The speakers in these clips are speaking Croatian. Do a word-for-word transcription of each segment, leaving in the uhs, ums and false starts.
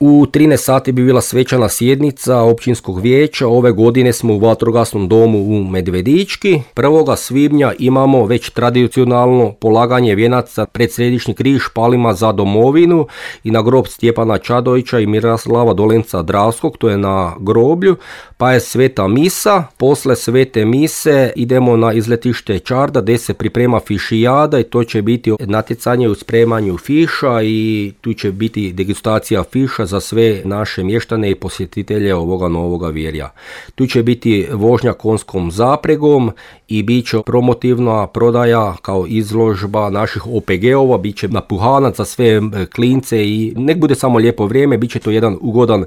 U trinaest sati bi bila svečana sjednica općinskog vijeća. Ove godine smo u vatrogasnom domu u Medvedički. prvog svibnja imamo već tradicionalno polaganje vijenaca pred Središnji križ Palima za domovinu i na grob Stjepana Čadovića i Miroslava Dolenca Dravskog, to je na groblju, pa je sveta misa. Posle svete mise idemo na izletište Čarda gdje se priprema fišijada i to će biti natjecanje u spremanju fiša i tu će biti degustacija fiša za sve naše mještane i posjetitelje ovoga novoga virja. Tu će biti vožnja konjskom zapregom i bit će promotivna prodaja kao izložba naših O P G-ova, bit će napuhanac za sve klince i nek bude samo lijepo vrijeme, bit će to jedan ugodan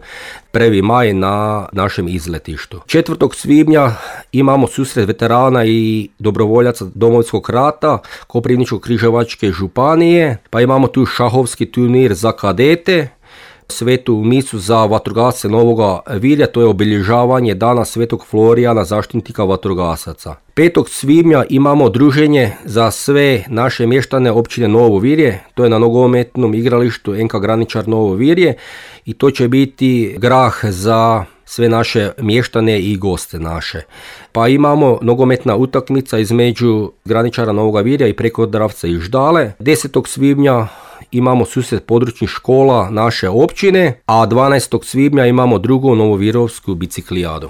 prvi maj na našem izletištu. četvrtog svibnja imamo susret veterana i dobrovoljaca Domovinskog rata Koprivničko-križevačke županije, pa imamo tu šahovski turnir za kadete, svetu misu za vatrogasce Novoga Virja, to je obilježavanje dana Svetog Florijana, zaštitnika vatrogasaca. petog svibnja imamo druženje za sve naše mještane općine Novo Virje, to je na nogometnom igralištu N K Graničar Novo Virje i to će biti grah za sve naše mještane i goste naše. Pa imamo nogometna utakmica između Graničara Novoga Virja i Prekodravca i Ždale. desetog svibnja imamo susret područnih škola naše općine, a dvanaestog svibnja imamo drugu novovirovsku biciklijadu.